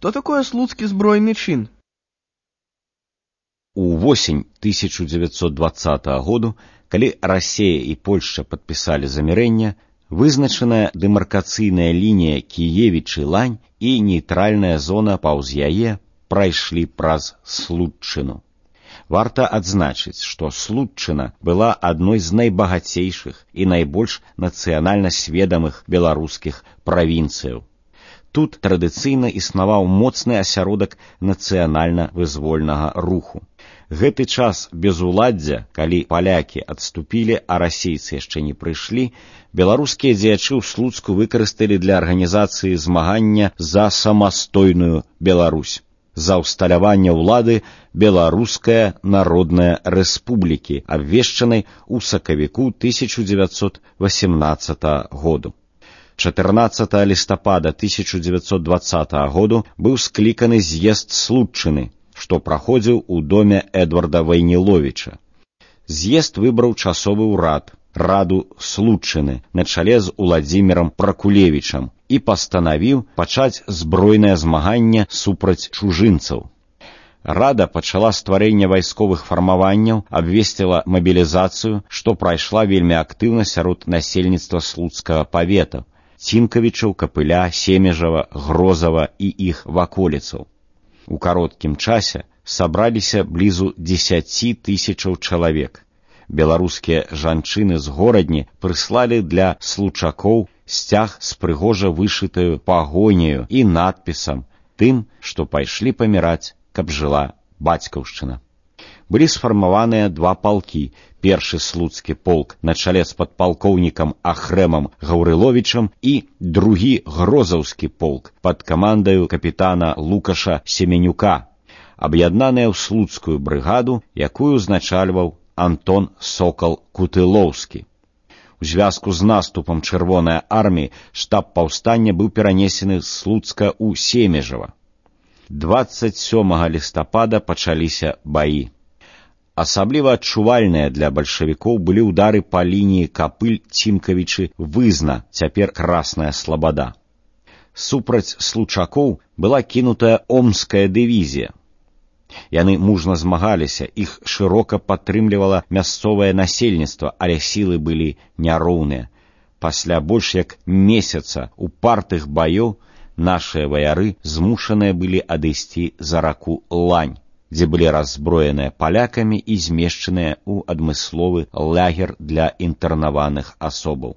Что такое слуцкі збройны чын? У восень 1920 году, калі Расія і Польшча падпісалі замірэнне, вызначаная дэмаркацыйная лінія Кіевічы-Лань і нейтральная зона паўз яе прайшлі праз Слуцчыну. Варта адзначыць, што Слуцчына была адной з найбагацейшых і найбольш нацыянальна сведамых беларускіх правінцыяў. Тут традыцыйна існаваў моцны асяродак нацыянальна-вызвольнага руху. Гэты час безуладдзя, калі палякі адступілі, а расейцы яшчэ не прыйшлі, беларускія дзеячы ў Слуцку выкарысталі для арганізацыі змагання за самастойную Беларусь, за ўсталяванне ўлады Беларуская народная рэспублікі, абвешчанай у сакавіку 1918 году. 14 лістапада 1920 году быў скліканы з'езд Слуцчыны, што праходзіў у доме Эдварда Вайніловіча. З'езд выбраў часовы ўрад, раду Слуцчыны, на чале з Уладзімірам Пракулевічам, і пастанавіў пачаць збройнае змаганне супраць чужынцаў. Рада пачала стварэнне вайсковых фармаванняў, абвесціла мабілізацыю, што прайшла вельмі актыўна сярод насельніцтва слуцкага павета, Цінкавічаў, Капыля, Семежава, Грозава і іх ваколіцаў. У кароткім часе сабраліся блізу 10 000 чалавек. Беларускія жанчыны з горадні прыслалі для случакоў сцяг з прыгожа вышытаю пагоняю і надпісам тым, што пайшлі паміраць, каб жыла бацькаўшчына. Былі сфармаваныя два палкі. Першы слуцкі полк на чале з падпалкоўнікам Ахрэмам Гаўрыловічам і другі грозаўскі полк пад камандаю капітана Лукаша Семенюка, аб'яднаныя ў слуцкую брыгаду, якую узначальваў Антон Сокал Кутылоўскі. У звязку з наступам Чырвонай арміі штаб паўстання быў перанесены з Слуцка ў Семежава. 27 лістапада пачаліся баі. Асабліва адчувальныя для бальшавікоў былі ўдары па лініі Капыль-Цінкавічы-Вызна, цяпер Красная Слабада. Супраць случакоў была кінутая Омская дывізія. Яны мужна змагаліся, іх шырока падтрымлівала мясцовае насельніцтва, але сілы былі няроўныя. Пасля больш як месяца упартых баёў нашыя ваяры змушаныя былі адысці за раку Лань, дзе былі раззброеныя палякамі і змешчаныя ў адмысловы лагер для інтэрнаваных асобаў.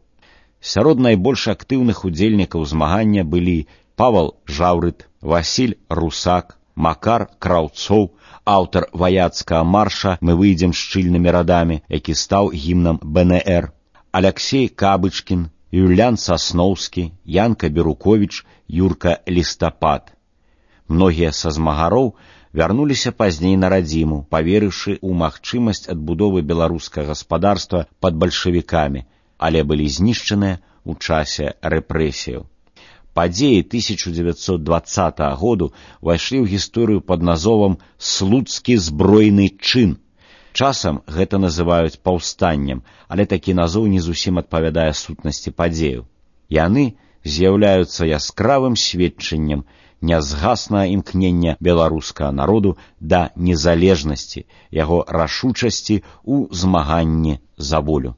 Сярод найбольш актыўных удзельнікаў змагання былі Павал Жаўрыт, Васіль Русак, Макар Краўцоў, аўтар ваяцкага марша «Мы выйдзем шчыльнымі радамі», які стаў гімнам БНР, Аляксей Кабычкін, Юлян Сасноўскі, Янка Беруковіч, Юрка Лістапад. Многія са змагароў вярнуліся пазней на радзіму, паверыўшы ў магчымасць адбудовы беларускага гаспадарства пад бальшавікамі, але былі знішчаныя ў часе рэпрэсіяў. Падзеі 1920 году ўвайшлі ў гісторыю пад назовам «Слуцкі збройны чын». Часам гэта называюць паўстаннем, але такі назоў не зусім адпавядае сутнасці падзеяў. Яны з'яўляюцца яскравым сведчаннем нязгаснага імкнення беларускага народу да незалежнасці, яго рашучасці ў змаганні за волю.